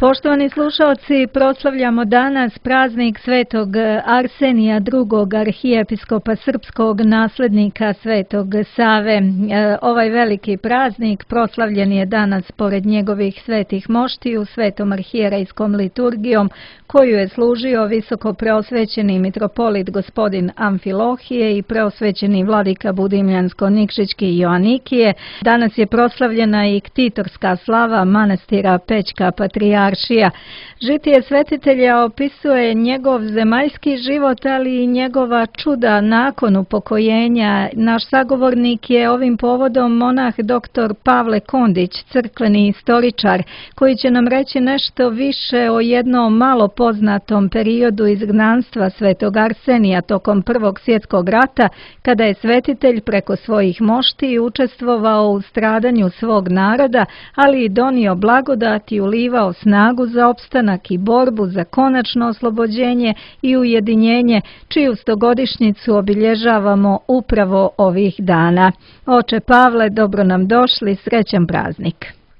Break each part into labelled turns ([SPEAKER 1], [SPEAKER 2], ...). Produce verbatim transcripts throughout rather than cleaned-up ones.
[SPEAKER 1] Poštovani slušalci, proslavljamo danas praznik Svetog Arsenija, drugog arhijepiskopa srpskog, naslednika Svetog Save. Ovaj veliki praznik proslavljen je danas pored njegovih svetih moštiju svetom arhijerejskom liturgijom, koju je služio visoko preosvećeni mitropolit gospodin Amfilohije i preosvećeni vladika Budimljansko-Nikšićki Joanikije. Danas je proslavljena i ktitorska slava manastira Pećka Patrijaršija. Žitije svetitelja opisuje njegov zemaljski život, ali i njegova čuda nakon upokojenja. Naš sagovornik je ovim povodom monah doktor Pavle Kondić, crkveni istoričar, koji će nam reći nešto više o jednom malo poznatom periodu izgnanstva Svetog Arsenija tokom Prvog svjetskog rata, kada je svetitelj preko svojih mošti učestvovao u stradanju svog naroda, ali i donio blagodat i ulivao snagu za opstanak i borbu za konačno oslobođenje i ujedinjenje, čiju stogodišnjicu obilježavamo upravo ovih dana. Oče Pavle, dobro nam došli, srećan praznik.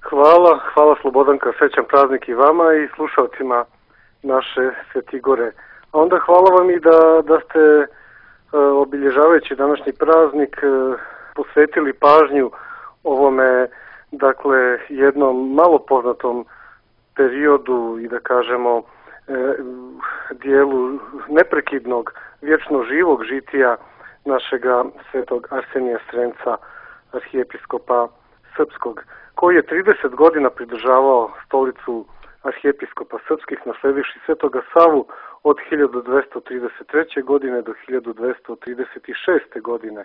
[SPEAKER 2] Hvala, hvala Slobodanka, srećan praznik i vama i slušalcima naše Svetigore. A onda hvala vam i da, da ste e, obilježavajući današnji praznik e, posvetili pažnju ovome, dakle, jednom malo poznatom periodu i da kažemo e, dijelu neprekidnog, vječno živog žitija našega Svetog Arsenija Srenca, arhijepiskopa srpskog, koji je trideset godina pridržavao stolicu arhijepiskopa srpskih, nasledivši Svetoga Savu od hiljadu dvesta trideset treće. godine do hiljadu dvesta trideset šeste. godine.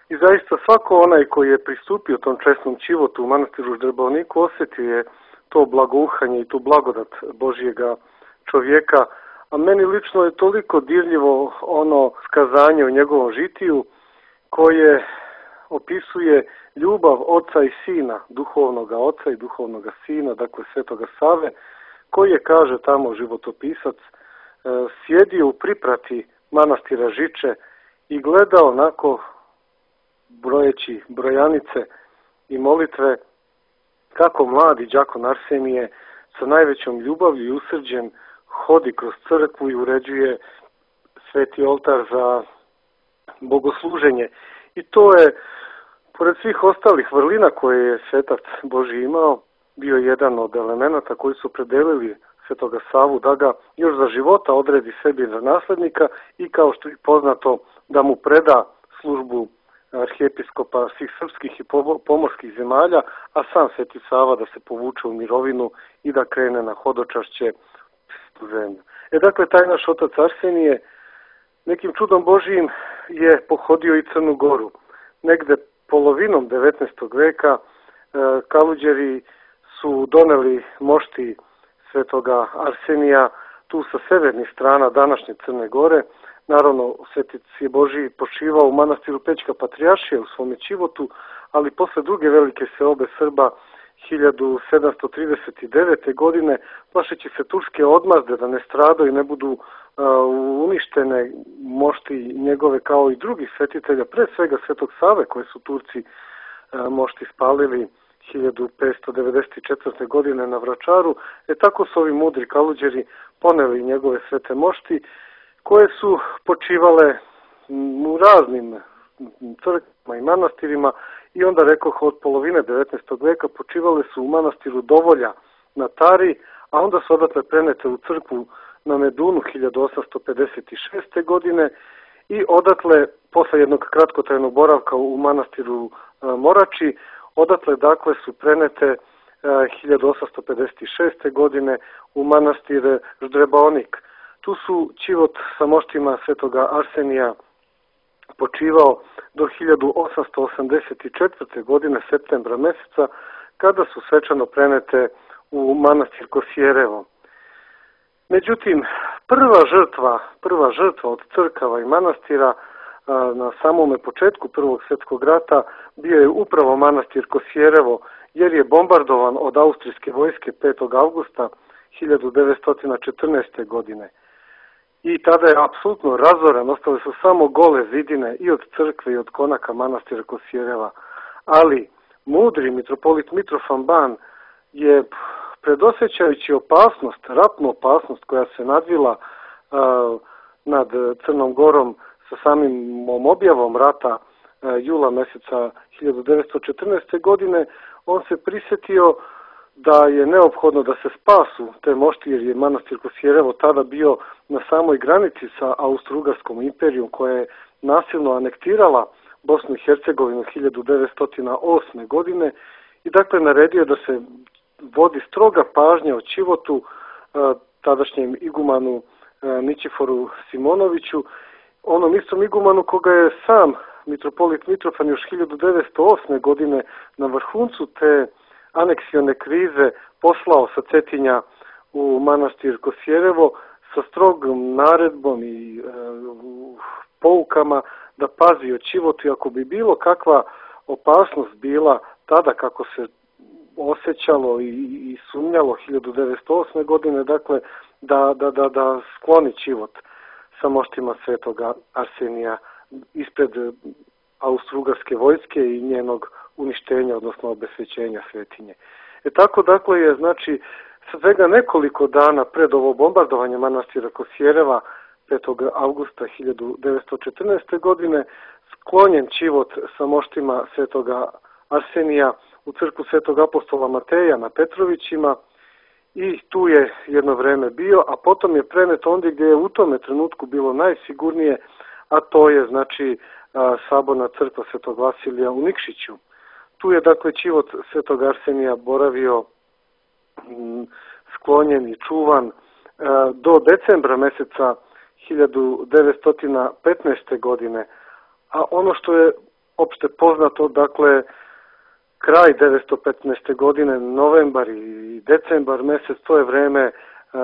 [SPEAKER 2] I zaista svako onaj koji je pristupio tom česnom čivotu u manastiru Ždrebovniku osjetio je to blagouhanje i tu blagodat Božjega čovjeka, a meni lično je toliko dirljivo ono skazanje u njegovom žitiju koje opisuje ljubav oca i sina, duhovnoga oca i duhovnoga sina, dakle Svetoga Save, koji je, kaže tamo životopisac, sjedio u priprati manastira Žiče i gledao onako, brojeći brojanice i molitve, kako mladi đakon Arsenije sa najvećom ljubavlju i usrđem hodi kroz crkvu i uređuje sveti oltar za bogosluženje. I to je, pored svih ostalih vrlina koje je svetac Božji imao, bio jedan od elemenata koji su predelili Svetoga Savu da ga još za života odredi sebi za naslednika i, kao što je poznato, da mu preda službu arhijepiskopa svih srpskih i pomorskih zemalja, a sam Sveti Sava da se povuče u mirovinu i da krene na hodočašće u zemlju. E dakle, taj naš otac Arsenije nekim čudom Božijim je pohodio i Crnu Goru. Negde polovinom devetnaestog veka e, Kaluđeri su doneli mošti Svetoga Arsenija tu sa severnih strana današnje Crne Gore. Naravno, Svetac je Božji počivao u manastiru Pećka Patrijaršije u svome čivotu, ali posle druge velike seobe Srba hiljadu sedamsto trideset devete. godine, plašeći se turske odmazde da ne stradaju i ne budu uh, uništene mošti njegove kao i drugih svetitelja, pre svega Svetog Save koje su Turci uh, mošti spalili hiljadu petsto devedeset četvrte. godine na Vračaru. E tako su ovi mudri Kaluđeri poneli njegove svete mošti, koje su počivale u raznim crkvama i manastirima i onda, rekoh, od polovine devetnaestog veka počivale su u manastiru Dovolja na Tari, a onda su odatle prenete u crkvu na Medunu hiljadu osamsto pedeset šeste. godine i odatle, posle jednog kratkotrajnog boravka u manastiru Morači, odatle dakle su prenete hiljadu osamsto pedeset šeste. godine u manastir Ždrebovnik. Tu su čivot sa moštima Svetoga Arsenija počivao do hiljadu osamsto osamdeset četvrte. godine, septembra meseca, kada su svečano prenete u manastir Kosjerevo. Međutim, prva žrtva, prva žrtva od crkava i manastira na samome početku Prvog svjetskog rata bio je upravo manastir Kosjerevo, jer je bombardovan od austrijske vojske petog avgusta hiljadu devetsto četrnaeste. godine. I tada je apsolutno razoren, ostale su samo gole zidine i od crkve i od konaka manastira Kosjereva. Ali mudri mitropolit Mitrofan Ban je predosjećajući opasnost, ratnu opasnost koja se nadvila uh, nad Crnom Gorom sa samim objavom rata uh, jula mjeseca hiljadu devetsto četrnaeste. godine, on se prisjetio da je neophodno da se spasu te mošti, jer je manastir Kosjerevo tada bio na samoj granici sa Austro-Ugarskom imperijom koja je nasilno anektirala Bosnu i Hercegovinu hiljadu devetsto osme. godine i dakle naredio da se vodi stroga pažnja o Čivotu, tadašnjem igumanu Ničiforu Simonoviću, onom istom igumanu koga je sam mitropolit Mitrofan još hiljadu devetsto osme. godine na vrhuncu te aneksione krize poslao sa Cetinja u manastir Kosjerevo sa strogom naredbom i e, poukama da pazi o Čivotu i ako bi bilo kakva opasnost bila tada kako se osjećalo i, i sumnjalo hiljadu devetsto osme. godine, dakle da, da, da, da skloni Čivot sa moštima svetoga Arsenija ispred Austro-Ugarske vojske i njenog uništenja, odnosno obesvećenja svetinje. E tako dakle je, znači, svega nekoliko dana pred ovo bombardovanje manastira Kosjereva petog avgusta hiljadu devetsto četrnaeste. godine sklonjen Čivot sa moštima svetoga Arsenija u crkvu svetog apostola Mateja na Petrovićima i tu je jedno vreme bio, a potom je prenet ondje gdje je u tome trenutku bilo najsigurnije, a to je znači saborna crkva svetog Vasilija u Nikšiću. Tu je dakle Čivot svetog Arsenija boravio m, sklonjen i čuvan do decembra mjeseca hiljadu devetsto petnaeste. godine, a ono što je opšte poznato, dakle kraj devetsto petnaeste. godine, novembar i decembar mjesec, to je vreme uh,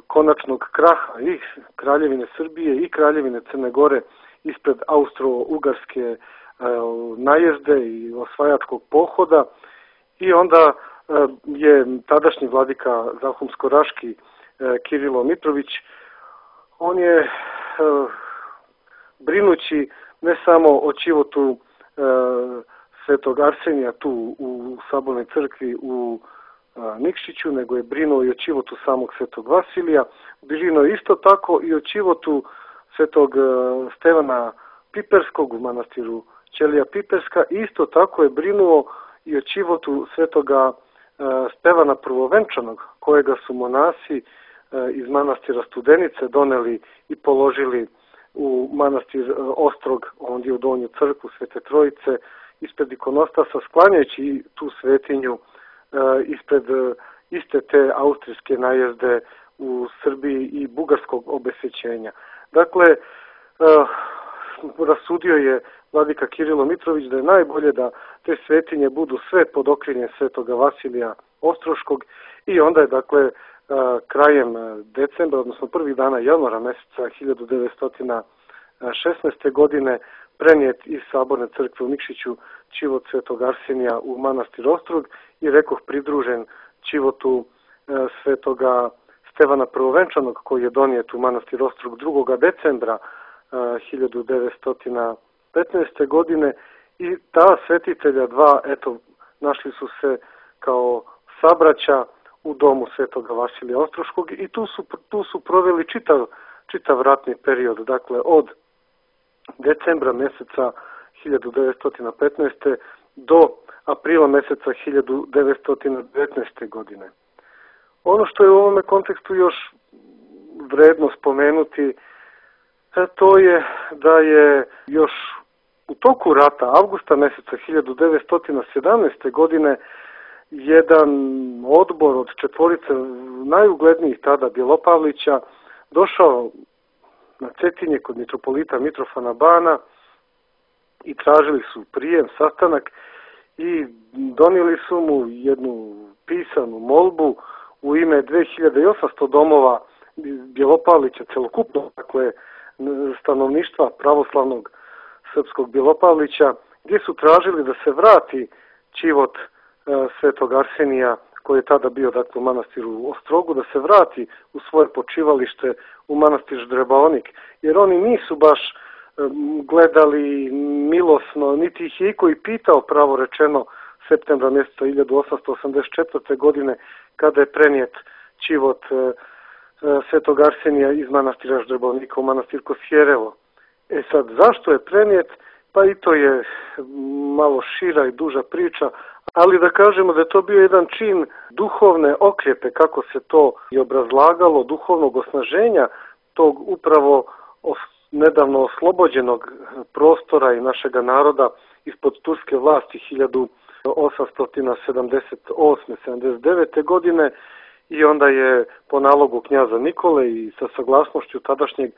[SPEAKER 2] konačnog kraha i Kraljevine Srbije i Kraljevine Crne Gore ispred Austro-Ugarske uh, najezde i osvajačkog pohoda i onda uh, je tadašnji vladika Zahumsko-Raški uh, Kirilo Mitrović, on je uh, brinući ne samo o Čivotu uh, svetog Arsenija tu u sabornoj crkvi u a, Nikšiću, nego je brinuo i o Čivotu samog svetog Vasilija, brinuo isto tako i o Čivotu svetog a, Stevana Piperskog u manastiru Ćelija Piperska, isto tako je brinuo i o Čivotu svetoga a, Stevana Prvovenčanog, kojega su monasi a, iz manastira Studenice doneli i položili u manastir a, Ostrog, ondje u Donju crkvu Svete Trojice, ispred ikonostasa, sklanjajući tu svetinju e, ispred e, iste te austrijske najezde u Srbiji i bugarskog obesvećenja. Dakle, e, rasudio je vladika Kirilo Mitrović da je najbolje da te svetinje budu sve pod okriljem svetoga Vasilija Ostroškog i onda je, dakle, e, krajem decembra, odnosno prvih dana januara mjeseca hiljadu devetsto šesnaeste. godine prenijet iz saborne crkve u Nikšiću Čivot svetog Arsenija u manastir Ostrog i rekoh pridružen Čivotu e, svetoga Stevana Prvovenčanog koji je donijet u manastir Ostrog drugog decembra e, hiljadu devetsto petnaeste. godine i ta svetitelja dva, eto, našli su se kao sabraća u domu svetoga Vasilija Ostroškog i tu su, tu su proveli čitav, čitav ratni period, dakle od decembra mjeseca hiljadu devetsto petnaeste. do aprila mjeseca hiljadu devetsto devetnaeste. godine. Ono što je u ovome kontekstu još vredno spomenuti, to je da je još u toku rata, avgusta mjeseca hiljadu devetsto sedamnaeste. godine, jedan odbor od četvorice najuglednijih tada Bjelopavlića došao na Cetinje kod mitropolita Mitrofana Bana i tražili su prijem, sastanak i donijeli su mu jednu pisanu molbu u ime dve hiljade osamsto domova Bjelopavlića, celokupno, dakle, stanovništva pravoslavnog srpskog Bjelopavlića, gdje su tražili da se vrati Čivot e, svetog Arsenija, koji je tada bio, dakle, u manastiru Ostrogu, da se vrati u svoje počivalište u manastir Ždrebaonik, jer oni nisu baš gledali milosno, niti ih je iko i pitao pravo rečeno septembra mjeseca hiljadu osamsto osamdeset četvrte. godine kada je prenijet čivot Svetog Arsenija iz manastira Ždrebovnika u manastir Kosjerevo. E sad, zašto je prenijet? Pa i to je malo šira i duža priča, ali da kažemo da je to bio jedan čin duhovne okljepe, kako se to i obrazlagalo, duhovnog osnaženja tog upravo nedavno oslobođenog prostora i našega naroda ispod turske vlasti hiljadu osamsto sedamdeset osme sedamdeset devete. godine i onda je po nalogu knjaza Nikole i sa saglasnošću tadašnjeg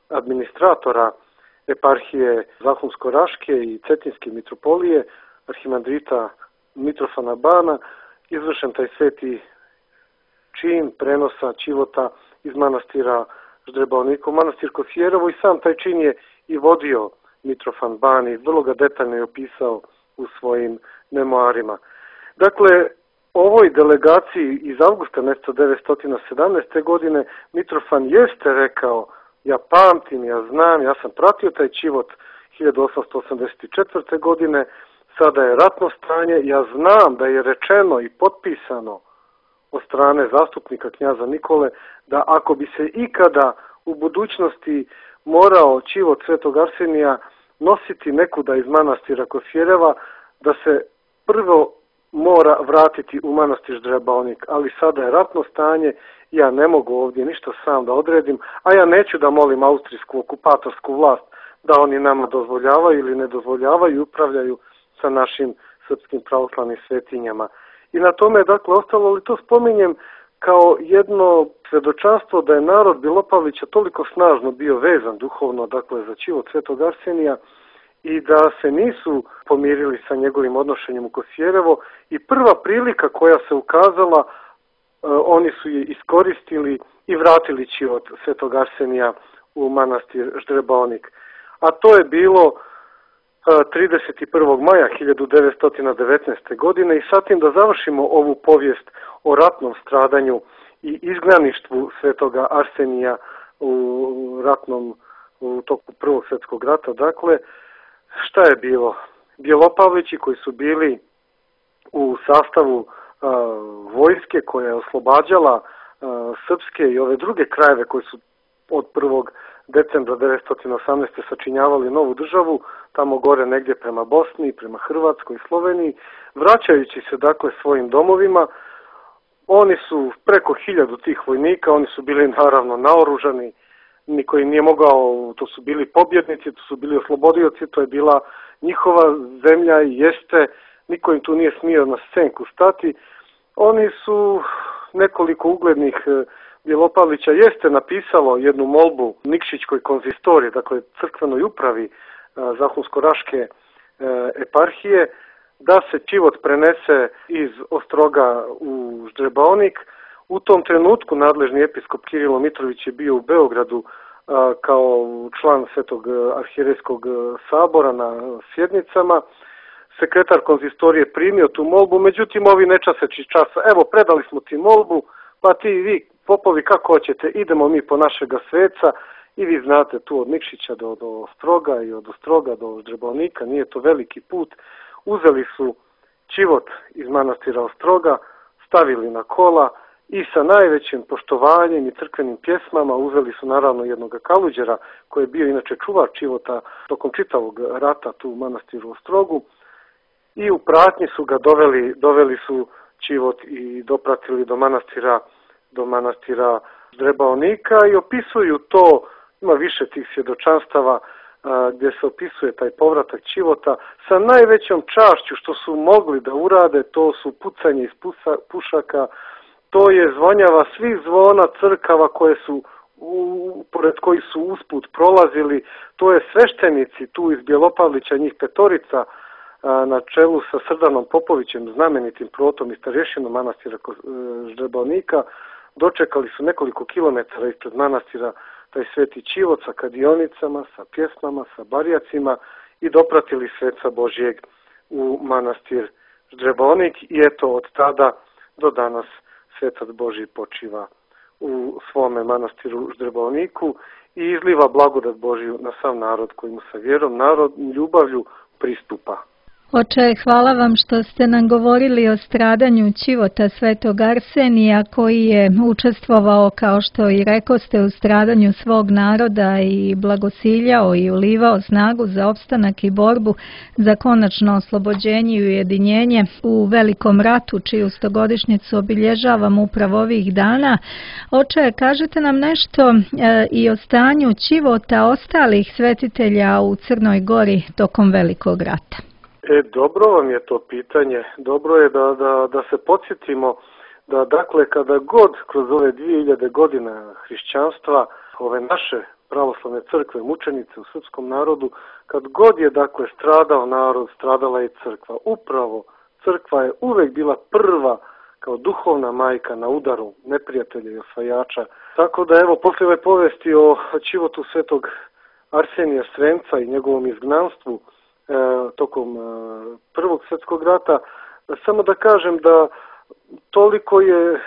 [SPEAKER 2] administratora eparhije Zahumsko-Raške i Cetinske mitropolije, arhimandrita Mitrofana Bana, izvršen taj sveti čin prenosa čivota iz manastira Ždrebovnika u manastir Kosjerevo i sam taj čin je i vodio Mitrofan Ban i vrlo ga detaljno je opisao u svojim memoarima. Dakle, ovoj delegaciji iz avgusta mjeseca devetsto sedamnaeste. godine Mitrofan jeste rekao: ja pamtim, ja znam, ja sam pratio taj čivot hiljadu osamsto osamdeset četvrte. godine, sada je ratno stanje, ja znam da je rečeno i potpisano od strane zastupnika knjaza Nikole da ako bi se ikada u budućnosti morao čivot Svetog Arsenija nositi nekuda iz manastira Kosjereva, da se prvo mora vratiti u manastir Ždrebovnik, ali sada je ratno stanje, ja ne mogu ovdje ništa sam da odredim, a ja neću da molim austrijsku okupatorsku vlast da oni nama dozvoljavaju ili ne dozvoljavaju i upravljaju sa našim srpskim pravoslavnim svetinjama. I na tome je dakle ostalo, ali to spominjem kao jedno svjedočanstvo da je narod Bilopavlića toliko snažno bio vezan duhovno dakle za čivot Svetog Arsenija i da se nisu pomirili sa njegovim odnošenjem u Kosjerevo i prva prilika koja se ukazala, oni su je iskoristili i vratili čivot Svetog Arsenija u manastir Ždrebovnik. A to je bilo trideset prvog maja hiljadu devetsto devetnaeste. godine i sa tim da završimo ovu povijest o ratnom stradanju i izgnaništvu Svetoga Arsenija u ratnom u toku Prvog svjetskog rata. Dakle, šta je bilo? Bjelopavlići koji su bili u sastavu a, vojske koja je oslobađala a, srpske i ove druge krajeve koji su od prvog decembra devetsto osamnaeste. sačinjavali novu državu, tamo gore negdje prema Bosni, prema Hrvatskoj i Sloveniji, vraćajući se dakle svojim domovima. Oni su preko hiljadu tih vojnika, oni su bili naravno naoružani, niko im nije mogao, to su bili pobjednici, to su bili oslobodioci, to je bila njihova zemlja i jeste, niko im tu nije smio na scenku stati. Oni su nekoliko uglednih Bjelopavlića jeste napisalo jednu molbu Nikšićkoj konzistoriji, dakle crkvenoj upravi Zahumsko-Raške eparhije, da se čivot prenese iz Ostroga u Ždrebovnik. U tom trenutku nadležni episkop Kirilo Mitrović je bio u Beogradu kao član Svetog arhijerejskog sabora na sjednicama. Sekretar konzistorije primio tu molbu, međutim ovi nečaseći časa, evo predali smo ti molbu, pa ti vi popovi kako hoćete, idemo mi po našega sveca i vi znate tu od Nikšića do, do Ostroga i od Ostroga do Ždrebovnika, nije to veliki put. Uzeli su čivot iz manastira Ostroga, stavili na kola i sa najvećim poštovanjem i crkvenim pjesmama uzeli su naravno jednog kaluđera koji je bio inače čuvar čivota tokom čitavog rata tu u manastiru Ostrogu i u pratnji su ga doveli, doveli su čivot i dopratili do manastira do manastira Ždrebovnika i opisuju to, ima više tih svjedočanstava a, gdje se opisuje taj povratak čivota sa najvećom čašću što su mogli da urade, to su pucanje iz pusa, pušaka, to je zvonjava svih zvona crkava koje su u, pored kojih su usput prolazili, to je sveštenici tu iz Bjelopavlića, njih petorica a, na čelu sa Srdanom Popovićem, znamenitim protom i starješinom manastira Ždrebovnika, dočekali su nekoliko kilometara ispred manastira taj sveti čivot sa kadionicama, sa pjesmama, sa barjacima i dopratili sveca Božjeg u manastir Ždrebovnik i eto od tada do danas svetac Božji počiva u svome manastiru Ždrebovniku i izliva blagodat Božju na sav narod koji mu sa vjerom, narod, ljubavlju pristupa.
[SPEAKER 1] Oče, hvala vam što ste nam govorili o stradanju Ćivota svetog Arsenija, koji je učestvovao, kao što i rekoste, u stradanju svog naroda i blagosiljao i ulivao snagu za opstanak i borbu za konačno oslobođenje i ujedinjenje u velikom ratu, čiju stogodišnjicu obilježavam upravo ovih dana. Oče, kažete nam nešto e, i o stanju Ćivota ostalih svetitelja u Crnoj Gori tokom velikog rata.
[SPEAKER 2] E, dobro vam je to pitanje. Dobro je da, da, da se podsjetimo da, dakle, kada god kroz ove dvije hiljade godina hrišćanstva, ove naše pravoslavne crkve, mučenice u srpskom narodu, kad god je, dakle, stradao narod, stradala je crkva. Upravo crkva je uvek bila prva kao duhovna majka na udaru neprijatelja i osvajača. Tako da, evo, posle ove povesti o Ćivotu svetog Arsenija Sremca i njegovom izgnanstvu E, tokom e, Prvog svjetskog rata, samo da kažem da toliko je e,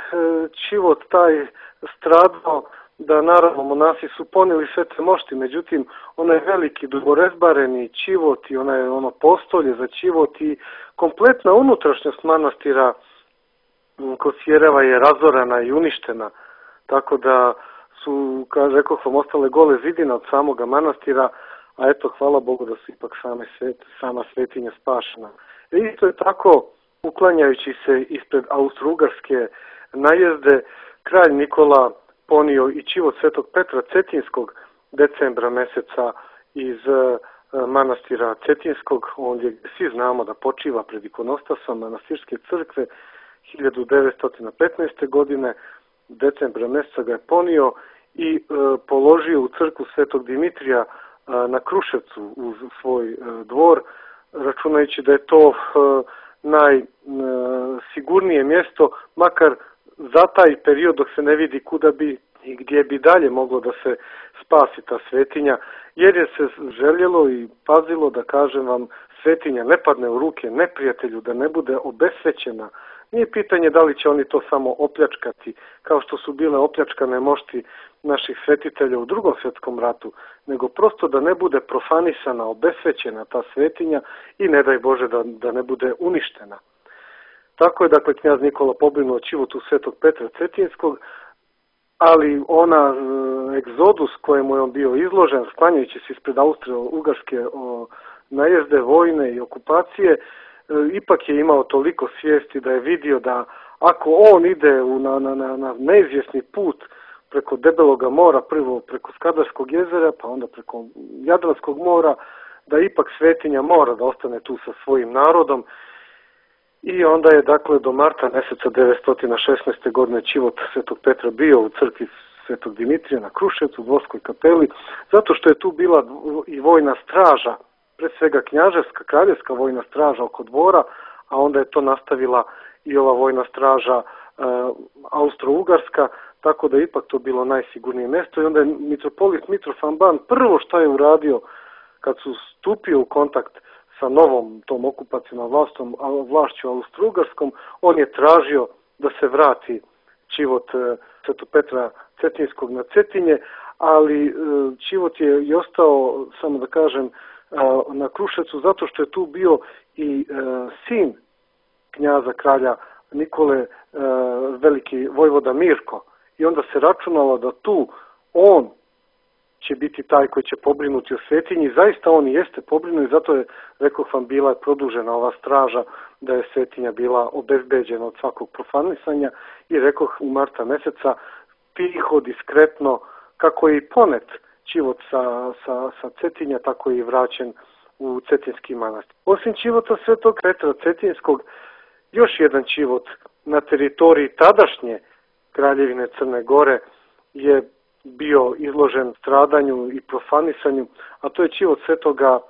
[SPEAKER 2] Ćivot taj stradao da naravno monasi su ponijeli sve te mošti, međutim onaj veliki duborezbareni Ćivot i onaj ono postolje za Ćivot i kompletna unutrašnjost manastira Kosjereva je razorana i uništena, tako da su, kao rekoh vam, ostale gole zidine od samoga manastira, a eto, hvala Bogu da su ipak same svet, sama svetinja spašena. I isto je tako, uklanjajući se ispred Austro-Ugarske najezde, kralj Nikola ponio i Ćivot svetog Petra Cetinskog decembra meseca iz manastira Cetinskog, ondje svi znamo da počiva pred ikonostasom manastirske crkve, hiljadu devetsto petnaeste. godine, decembra meseca ga je ponio i e, položio u crkvu svetog Dimitrija na Kruševcu uz svoj dvor, računajući da je to najsigurnije mjesto, makar za taj period dok se ne vidi kuda bi i gdje bi dalje moglo da se spasi ta svetinja, jer je se željelo i pazilo, da kažem vam, svetinja ne padne u ruke neprijatelju, da ne bude obesvećena. Nije pitanje da li će oni to samo opljačkati, kao što su bile opljačkane mošti naših svetitelja u Drugom svjetskom ratu, nego prosto da ne bude profanisana, obesvećena ta svetinja i ne daj Bože da, da ne bude uništena. Tako je, dakle, knjaz Nikola pobrinuo o Ćivotu svetog Petra Cetinskog, ali ona e, egzodus kojemu je on bio izložen, sklanjajući se ispred Austro-Ugarske najezde, vojne i okupacije, e, ipak je imao toliko svijesti da je vidio da ako on ide u, na, na, na neizvjesni put preko Debeloga mora, prvo preko Skadarskog jezera, pa onda preko Jadranskog mora, da ipak svetinja mora da ostane tu sa svojim narodom. I onda je, dakle, do marta meseca devetsto šesnaeste. godine Ćivot svetog Petra bio u crkvi svetog Dimitrija na Kruševcu, u dvorskoj kapeli, zato što je tu bila i vojna straža, pre svega knjaževska, kraljevska vojna straža oko dvora, a onda je to nastavila i ova vojna straža e, Austro-Ugarska, tako da je ipak to bilo najsigurnije mjesto. I onda je mitropolit Mitrofan Ban prvo što je uradio kad su stupio u kontakt sa novom tom okupacijom vlastom, vlašću Austro-Ugarskom, on je tražio da se vrati Ćivot svetog Petra Cetinskog na Cetinje, ali Ćivot je i ostao, samo da kažem, na Kruševcu zato što je tu bio i sin knjaza kralja Nikole, veliki vojvoda Mirko. I onda se računalo da tu on će biti taj koji će pobrinuti o svetinji. Zaista on i jeste pobrinuo i zato je, rekoh vam, bila produžena ova straža, da je svetinja bila obezbeđena od svakog profanisanja i rekoh u marta meseca tiho, diskretno, kako je i ponet Ćivot sa, sa, sa Cetinja, tako je i vraćen u Cetinski manastir. Osim Ćivota svetog Petra Cetinskog, još jedan Ćivot na teritoriji tadašnje Kraljevine Crne Gore je bio izložen stradanju i profanisanju, a to je Ćivot svetoga e,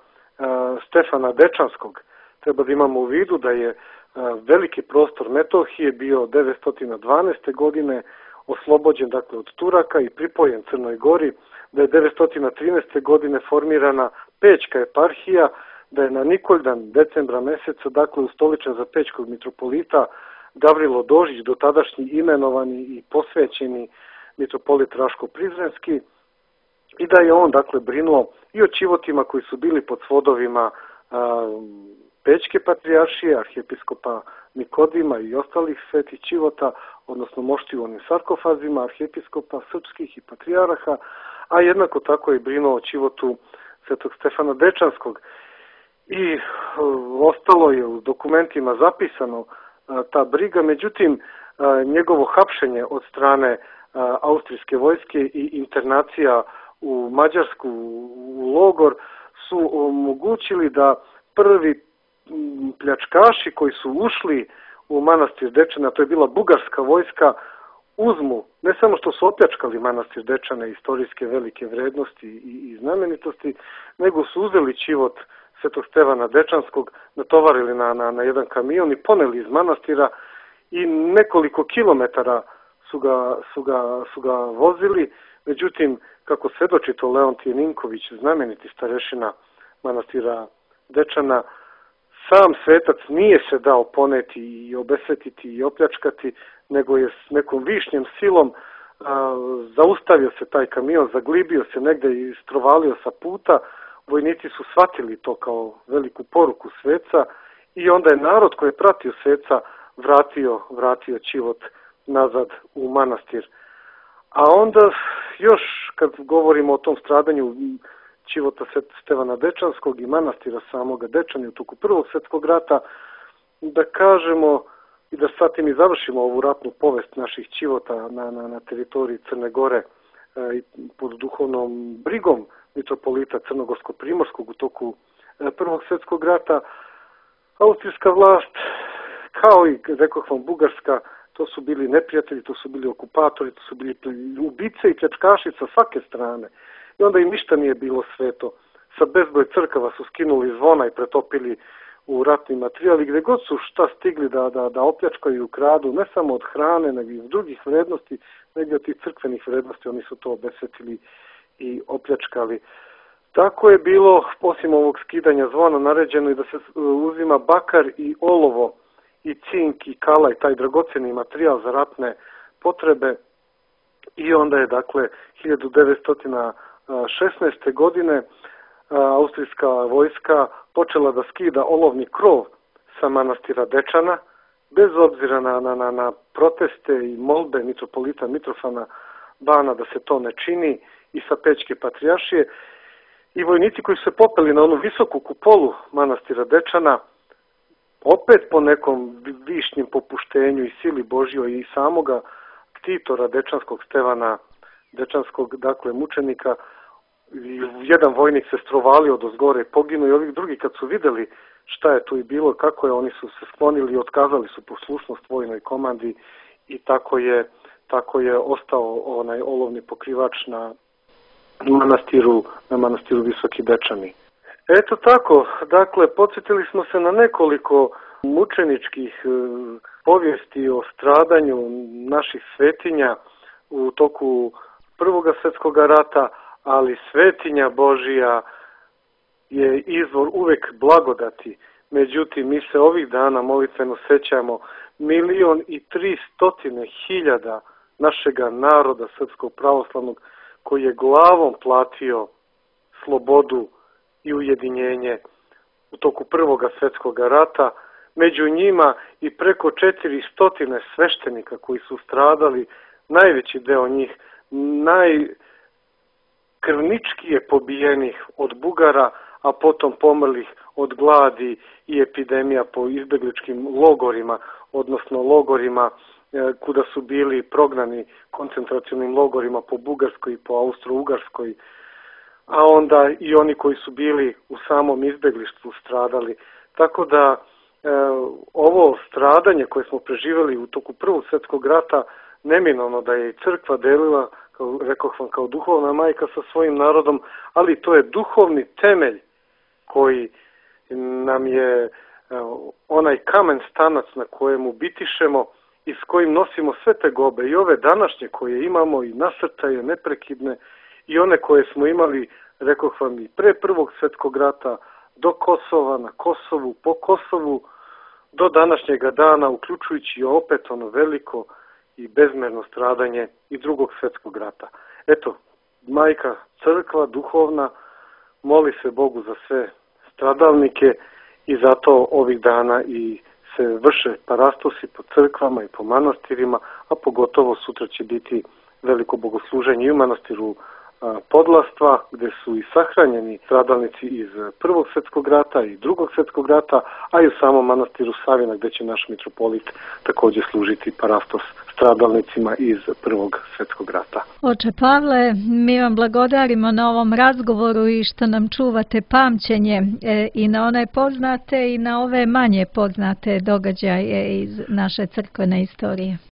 [SPEAKER 2] Stefana Dečanskog. Treba da imamo u vidu da je e, veliki prostor Metohije bio devetsto dvanaeste. godine oslobođen, dakle, od Turaka i pripojen Crnoj Gori, da je devetsto trinaeste. godine formirana Pećka eparhija, da je na Nikoldan decembra meseca, dakle, ustoličen za pećkog mitropolita Gavrilo Dožić, do tadašnji imenovani i posvećeni mitropolit Raško-Prizrenski, i da je on, dakle, brinuo i o Ćivotima koji su bili pod svodovima a, Pećke patrijaršije, arhijepiskopa Nikodima i ostalih svetih čivota, odnosno moštiju onim sarkofazima, arhijepiskopa srpskih i patrijaraha, a jednako tako je brinuo o čivotu svetog Stefana Dečanskog. I uh, ostalo je u dokumentima zapisano uh, ta briga, međutim uh, njegovo hapšenje od strane uh, austrijske vojske i internacija u Mađarsku u logor su omogućili da prvi pljačkaši koji su ušli u manastir Dečana, to je bila bugarska vojska, uzmu, ne samo što su opljačkali manastir Dečane, istorijske velike vrednosti i, i znamenitosti, nego su uzeli čivot svetog Stevana Dečanskog, natovarili na, na, na jedan kamion i poneli iz manastira i nekoliko kilometara su ga, su ga, su ga vozili. Međutim, kako svedoči to Leontije Ninković, znameniti starešina manastira Dečana, sam svetac nije se dao poneti i obesvetiti i opljačkati, nego je s nekom višnjem silom a, zaustavio se taj kamion, zaglibio se negde i strovalio sa puta. Vojnici su shvatili to kao veliku poruku sveca i onda je narod koji je pratio sveca vratio, vratio čivot nazad u manastir. A onda još kad govorimo o tom stradanju čivota Stevana Dečanskog i manastira samoga Dečani u toku Prvog svjetskog rata, da kažemo i da sad tim i završimo ovu ratnu povest naših čivota na, na, na teritoriji Crne Gore e, pod duhovnom brigom mitropolita Crnogorsko-Primorskog u toku e, Prvog svjetskog rata. Austrijska vlast, kao i, rekoh vam, Bugarska, to su bili neprijatelji, to su bili okupatori, to su bili ubice i pljačkaši sa svake strane. I onda im ništa nije bilo sveto. Sa bezbroj crkava su skinuli zvona i pretopili u ratni materijal i gdje god su šta stigli da, da, da opljačkaju i ukradu, ne samo od hrane, nego i od drugih vrednosti, nego od tih crkvenih vrednosti, oni su to obesvetili i opljačkali. Tako je bilo, osim ovog skidanja zvona, naređeno i da se uzima bakar i olovo i cink i kala i taj dragoceni materijal za ratne potrebe. I onda je, dakle, hiljadu devetsto šesnaeste. godine austrijska vojska počela da skida olovni krov sa manastira Dečana, bez obzira na, na, na, na proteste i molbe mitropolita Mitrofana Bana da se to ne čini i sa Pećke patrijaršije. I vojnici koji su se popeli na onu visoku kupolu manastira Dečana, opet po nekom višnjem popuštenju i sili Božjoj i samoga ktitora Dečanskog Stevana Dečanskog, dakle, mučenika, jedan vojnik se strovalio do zgore i poginuo i ovih drugi kad su videli šta je tu i bilo, kako je, oni su se sklonili i otkazali su poslušnost vojnoj komandi i tako je, tako je ostao onaj olovni pokrivač na manastiru, na manastiru Visoki Dečani. Eto tako, dakle, podsjetili smo se na nekoliko mučeničkih e, povijesti o stradanju naših svetinja u toku Prvoga svjetskog rata, ali svetinja Božija je izvor uvek blagodati. Međutim, mi se ovih dana molitveno sećamo milion i tri stotine hiljada našega naroda srpskog pravoslavnog koji je glavom platio slobodu i ujedinjenje u toku Prvoga svjetskog rata. Među njima i preko četiri stotine sveštenika koji su stradali, najveći deo njih najkrvničkije pobijenih od Bugara, a potom pomrlih od gladi i epidemija po izbegličkim logorima, odnosno logorima kuda su bili prognani koncentracionim logorima po Bugarskoj i po Austro-Ugarskoj, a onda i oni koji su bili u samom izbeglištvu stradali. Tako da e, ovo stradanje koje smo preživjeli u toku Prvog svjetskog rata, neminovno da je i crkva delila, kao, rekoh vam, kao duhovna majka sa svojim narodom, ali to je duhovni temelj koji nam je e, onaj kamen stanac na kojemu bitišemo i s kojim nosimo sve te gobe, i ove današnje koje imamo i nasrtaje neprekidne i one koje smo imali, rekoh vam, i pre Prvog svjetskog rata, do Kosova, na Kosovu, po Kosovu, do današnjega dana, uključujući opet ono veliko i bezmerno stradanje i Drugog svjetskog rata. Eto, majka crkva duhovna moli se Bogu za sve stradalnike i zato ovih dana i se vrše parastosi po crkvama i po manastirima, a pogotovo sutra će biti veliko bogosluženje i u manastiru Podlastva, gde su i sahranjeni stradalnici iz Prvog svjetskog rata i Drugog svjetskog rata, a i u samom manastiru Savina, gde će naš mitropolit također služiti parastos stradalnicima iz Prvog svjetskog rata.
[SPEAKER 1] Oče Pavle, mi vam blagodarimo na ovom razgovoru i što nam čuvate pamćenje i na one poznate i na ove manje poznate događaje iz naše crkvene istorije.